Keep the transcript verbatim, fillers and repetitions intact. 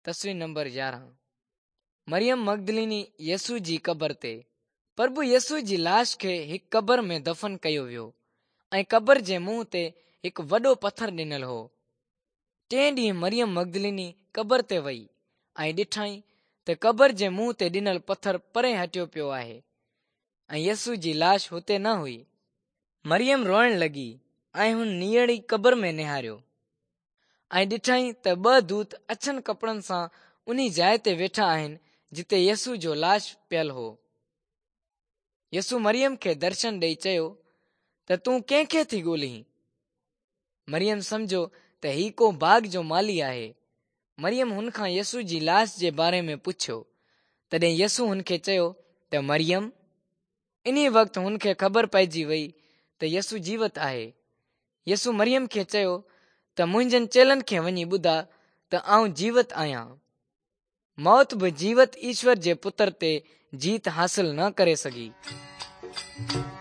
تصوير نمبر يارهن. مريم مگدليني يسوع جي قبر تي. پرڀو يسوع جي لاش کي هڪ قبر ۾ دفن ڪيو ويو ۽ قبر جي منهن تي هڪ وڏو پٿر ڏنل هو. ٽئين ڏينهن مريم مگدليني قبر تي وئي ۽ ڏٺائين ته قبر جي منهن تي ڏنل پٿر پري هٽيو پيو آهي ۽ يسوع جي لاش هتي نه هئي. مريم روئڻ لڳي ۽ هن نيئڙي قبر ۾ نهاريو ۽ ڏٺائين ته ٻه دوت اڇن ڪپڙن سان انهي جاء تي ويٺا آهن جتي يسوع جو لاش پيل هو. يسوع مريم کي درشن ڏئي چيو ته تون ڪنهن کي ٿي ڳولهين؟ مريم سمجهيو ته هي ڪو باغ جو مالي آهي. مريم هن کان يسوع جي لاش جي باري ۾ پڇيو. تڏهن يسوع هن کي چيو ته مريم. انهي وقت هن کي خبر پئجي وئي ته يسوع جيوت آهي. يسوع مريم کي چيو ته منهنجن چيلن کي وڃي ٻڌاء ته آئون جيوت آهيان. موت به جيوت ايشور جي پتر تي جيت حاصل نه ڪري سگهي.